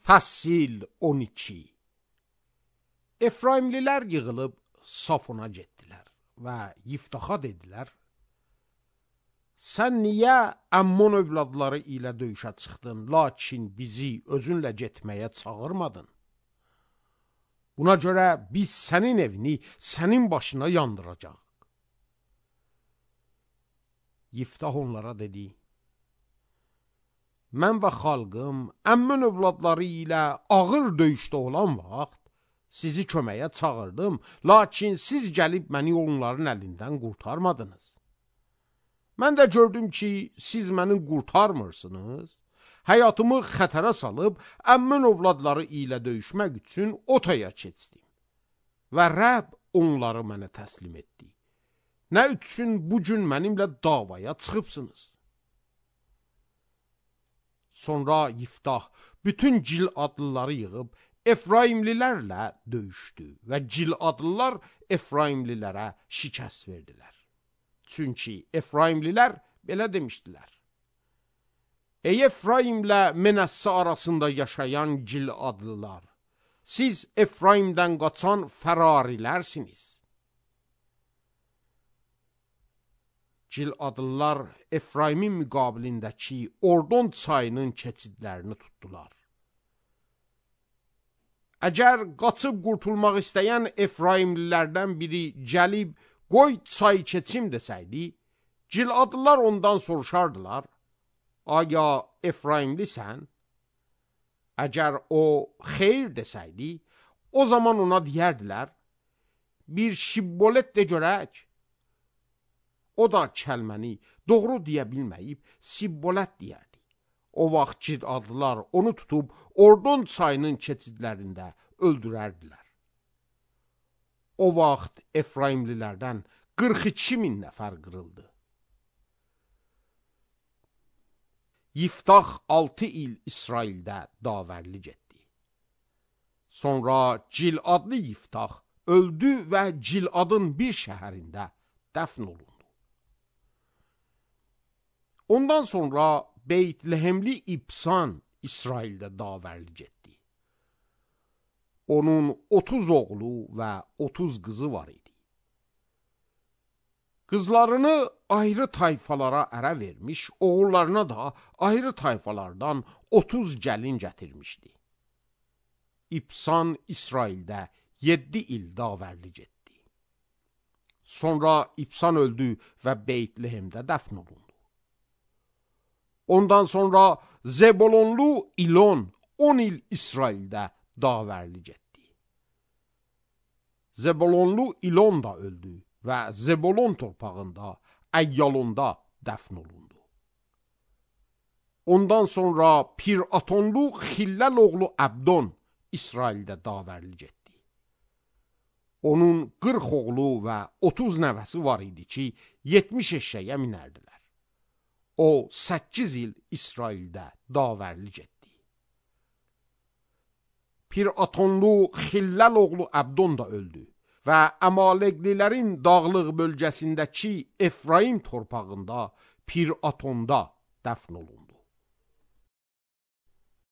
Fəsil 12. Efraimlilər yığılıb Safona getdilər və Yiftaxa dedilər: Sən niyə Əmmon övladları ilə döyüşə çıxdın, lakin bizi özünlə getməyə çağırmadın? Buna görə biz sənin evini sənin başına yandıracaq. Yiftah onlara dedi: Mən və xalqım Əmmon övladları ilə ağır döyüşdə olan vaxt sizi köməyə çağırdım, lakin siz gəlib məni onların əlindən qurtarmadınız. Mən də gördüm ki, siz məni qurtarmırsınız, həyatımı xətərə salıb Əmmon övladları ilə döyüşmək üçün otaya keçdim və Rəbb onları mənə təslim etdi. Nə üçün bugün mənimlə davaya çıxıbsınız? Sonra Yiftah bütün Giladlıları yığıb Efraimlilərlə döyüşdü və Giladlılar Efraimlilərə şikəst verdilər. Çünki Efraimlilər belə demişdilər: Ey Efraimlə Menəssə arasında yaşayan Giladlılar, siz Efraimdən qaçan fərarilərsiniz. Giladlılar Efraimin müqabilindəki Ordon çayının keçidlərini tutdular. Əgər qaçıb qurtulmaq istəyən Efraimlilərdən biri gəlib qoy çay keçim desəydi, Giladlılar ondan soruşardılar: Aya Efraimlisən? Əgər o xeyr desəydi, o zaman ona deyərdilər: Bir şibbolet de görək. O da kəlməni doğru deyə bilməyib sibbolət deyərdi. O vaxt Giladlılar onu tutub Ordon çayının keçidlərində öldürərdilər. O vaxt Efraimlilərdən 42 min nəfər qırıldı. Yiftah 6 il İsraildə davərli getdi. Sonra Giladlı Yiftah öldü və Giladın bir şəhərində dəfn olundu. Ondan sonra Beytlehemli İbsan İsraildə davərli getdi. Onun 30 oğlu və 30 qızı var idi. Qızlarını ayrı tayfalara ərə vermiş, oğullarına da ayrı tayfalardan 30 gəlin gətirmişdi. İbsan İsraildə 7 il davərli getdi. Sonra İbsan öldü və Beytlehemdə dəfn olundu. Ondan sonra Zebolonlu İlon 10 il İsraildə davərli getdi. Zebolonlu İlon da öldü və Zebolon torpağında, Əyyalonda dəfn olundu. Ondan sonra Piratonlu Xilləl oğlu Əbdon İsraildə davərli getdi. Onun 40 oğlu və 30 nəvəsi var idi ki, 70 eşşəyə minərdilər. O 8 il İsraildə davərli getdi. Piratonlu Xilləl oğlu Əbdon da öldü və Əmaleqlilərin dağlıq bölgəsindəki Efraim torpağında Piratonda dəfn olundu.